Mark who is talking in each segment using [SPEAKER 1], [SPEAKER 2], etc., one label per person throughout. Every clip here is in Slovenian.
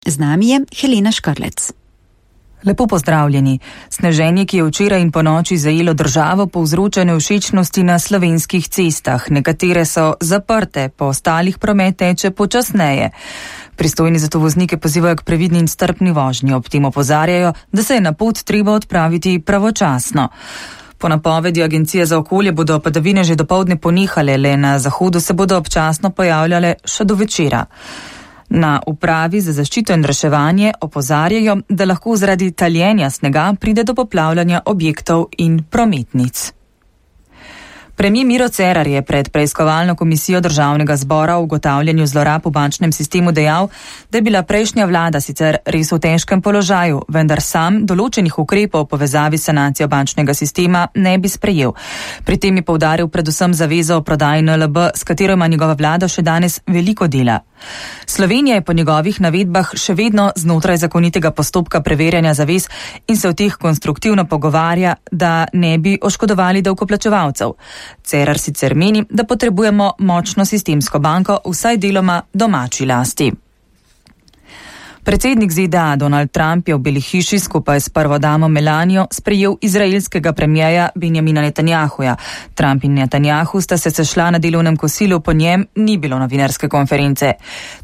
[SPEAKER 1] Z nami je Helena Škrlec.
[SPEAKER 2] Lepo pozdravljeni. Sneženje, ki je včeraj in ponoči zajelo državo, povzroča nevšečnosti na slovenskih cestah. Nekatere so zaprte, po ostalih promet teče počasneje. Pristojni zato voznike pozivajo k previdni in strpni vožnji. Ob tem opozarjajo, da se je na pot treba odpraviti pravočasno. Po napovedi Agencije za okolje bodo padavine že dopoldne ponehale, le na zahodu se bodo občasno pojavljale še do večera. Na upravi za zaščito in reševanje opozarjajo, da lahko zaradi taljenja snega pride do poplavljanja objektov in prometnic. Premijer Miro Cerar je pred preiskovalno komisijo Državnega zbora o ugotavljanju zlorab v bančnem sistemu dejal, da je bila prejšnja vlada sicer res v težkem položaju, vendar sam določenih ukrepov v povezavi s sanacijo bančnega sistema ne bi sprejel. Pri tem je poudaril predvsem zavezo o prodaji NLB, s katero ima njegova vlada še danes veliko dela. Slovenija je po njegovih navedbah še vedno znotraj zakonitega postopka preverjanja zavez in se v teh konstruktivno pogovarja, da ne bi oškodovali davkoplačevalcev. Cerar sicer meni, da potrebujemo močno sistemsko banko, vsaj deloma domači lasti. Predsednik ZDA Donald Trump je v Beli hiši skupaj s prvo damo Melanijo sprejel izraelskega premierja Benjamina Netanjahuja. Trump in Netanjahu sta se sešla na delovnem kosilu, po njem ni bilo novinarske konference.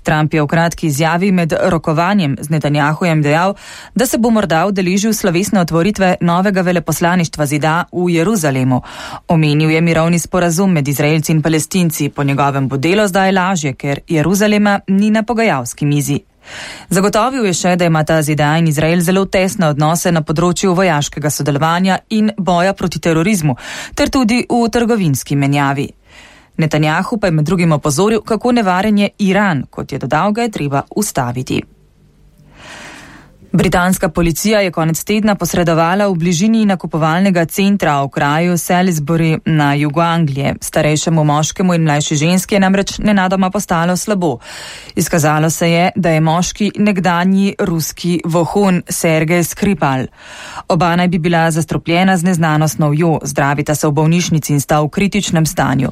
[SPEAKER 2] Trump je v kratki izjavi med rokovanjem z Netanjahujem dejal, da se bo morda udeležil slovesne otvoritve novega veleposlaništva ZDA v Jeruzalemu. Omenil je mirovni sporazum med Izraelci in Palestinci. Po njegovem bo delo zdaj lažje, ker Jeruzalema ni na pogajalski mizi. Zagotovil je še, da imata ZDA in Izrael zelo tesne odnose na področju vojaškega sodelovanja in boja proti terorizmu, ter tudi v trgovinski menjavi. Netanjahu pa je med drugim opozoril, kako nevaren je Iran, kot je dodal, ga je treba ustaviti. Britanska policija je konec tedna posredovala v bližini nakupovalnega centra v kraju Salisbury na jugu Anglije. Starejšemu moškemu in mlajši ženski je namreč nenadoma postalo slabo. Izkazalo se je, da je moški nekdanji ruski vohun Sergej Skripal. Oba naj bi bila zastrupljena z neznano snovjo, zdravita se v bolnišnici in sta v kritičnem stanju.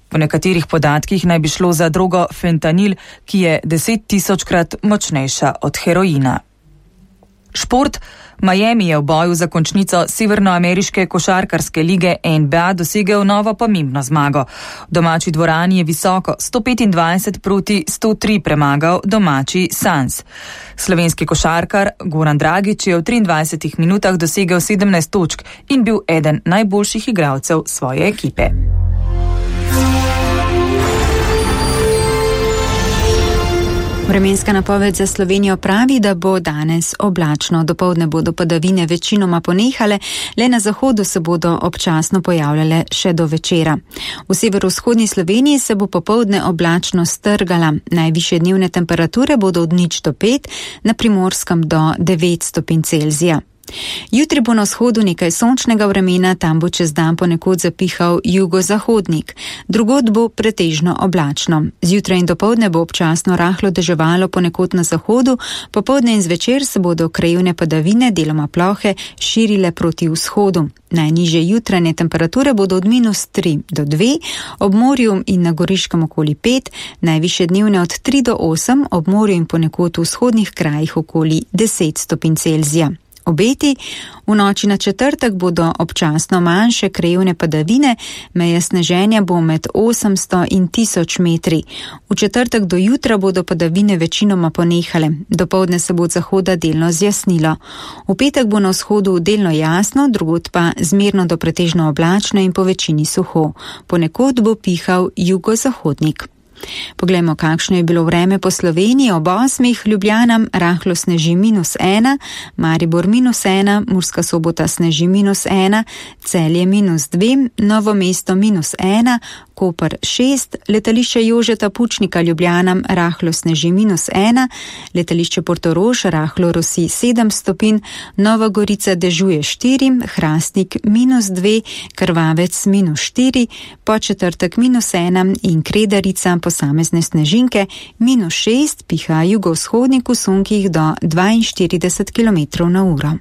[SPEAKER 2] Po nekaterih podatkih naj bi šlo za drogo fentanil, ki je 10.000-krat močnejša od heroina. Šport. Miami je v boju za končnico severnoameriške košarkarske lige NBA dosegel novo pomembno zmago. V domači dvorani je visoko 125 proti 103 premagal domači Suns. Slovenski košarkar Goran Dragić je v 23 minutah dosegel 17 točk in bil eden najboljših igralcev svoje ekipe.
[SPEAKER 1] Vremenska napoved za Slovenijo pravi, da bo danes oblačno. Dopoldne bodo padavine večinoma ponehale, le na zahodu se bodo občasno pojavljale še do večera. V severovzhodni Sloveniji se bo popoldne oblačno strgala. Najvišje dnevne temperature bodo od 0 do 5, na Primorskem do 9 stopinj Celzija. Jutri bo na vzhodu nekaj sončnega vremena, tam bo čez dan ponekod zapihal jugozahodnik. Drugod bo pretežno oblačno. Zjutraj in dopoldne bo občasno rahlo deževalo ponekod na zahodu, popoldne in zvečer se bodo krajevne padavine, deloma plohe, širile proti vzhodu. Najnižje jutranje temperature bodo od -3 do 2, ob morju in na Goriškem okoli 5, najvišje dnevne od 3 do 8, ob morju in ponekod v vzhodnih krajih okoli 10 stopinj Celzija. Obeti. V noči na četrtek bodo občasno manjše krajevne padavine, meja sneženja bo med 800 in 1000 metri. V četrtek do jutra bodo padavine večinoma ponehale, dopoldne se bo od zahoda delno zjasnilo. V petek bo na vzhodu delno jasno, drugod pa zmerno do pretežno oblačno in po večini suho. Ponekod bo pihal jugozahodnik. Poglejmo, kakšno je bilo vreme po Sloveniji. Ob 8. Ljubljana rahlo sneži -1, Maribor -1, Murska Sobota sneži -1, Celje -2, Novo mesto -1, Koper 6, letališče Jožeta Pučnika Ljubljana rahlo sneži -1, letališče Portorož rahlo rosi 7 stopinj, Nova Gorica dežuje 4, Hrastnik -2, Krvavec -4, Podčetrtek -1 in Kredarica posamezne snežinke -6, piha jugovzhodnik v sunkih do 42 km/h.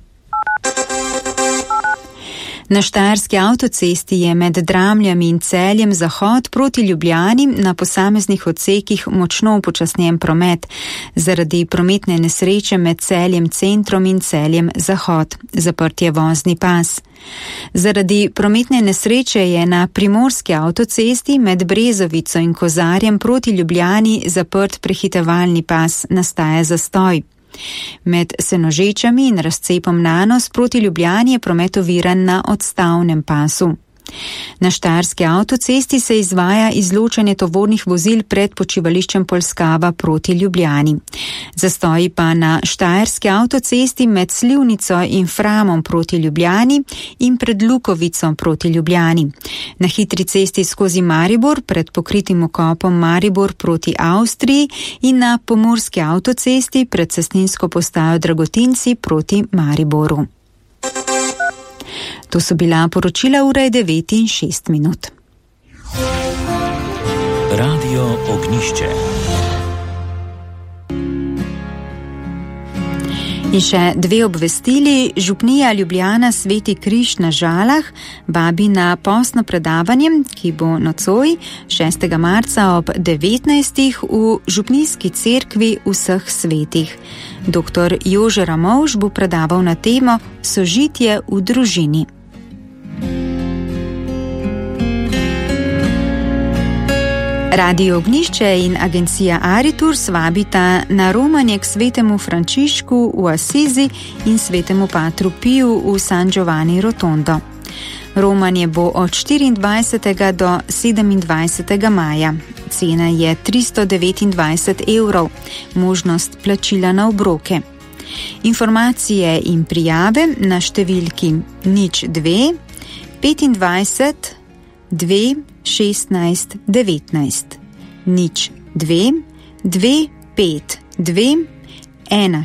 [SPEAKER 1] Na Štajerski avtocesti je med Dramljami in Celjem zahod proti Ljubljani na posameznih odsekih močno upočasnjen promet zaradi prometne nesreče med Celjem centrom in Celjem zahod. Zaprt je vozni pas. Zaradi prometne nesreče je na Primorski avtocesti med Brezovico in Kozarjem proti Ljubljani zaprt prehitevalni pas, nastaja zastoj. Med Senožečami in razcepom Nanos proti Ljubljani je promet oviran na odstavnem pasu. Na Štajerski avtocesti se izvaja izločanje tovornih vozil pred počivališčem Polskava proti Ljubljani. Zastoji pa na Štajerski avtocesti med Slivnico in Framom proti Ljubljani in pred Lukovico proti Ljubljani. Na hitri cesti skozi Maribor pred pokritim okopom Maribor proti Avstriji in na Pomurski avtocesti pred cestninsko postajo Dragotinci proti Mariboru. To so bila poročila, ura je 9:06.
[SPEAKER 3] Radio Ognjišče.
[SPEAKER 1] In še dve obvestili. Župnija Ljubljana Sveti križ na Žalah vabi na postno predavanje, ki bo nocoj 6. marca ob 19. v župnijski cerkvi vseh svetih. Dr. Jože Ramovš bo predaval na temo Sožitje v družini. Radio Ognjišče in agencija Aritur vabita na romanje k svetemu Frančišku v Asizi in svetemu Patru Piju v San Giovanni Rotondo. Romanje bo od 24. do 27. maja. Cena je 329 €, možnost plačila na obroke. Informacije in prijave na številki 02 25 2 16 19 02 2 5 2 1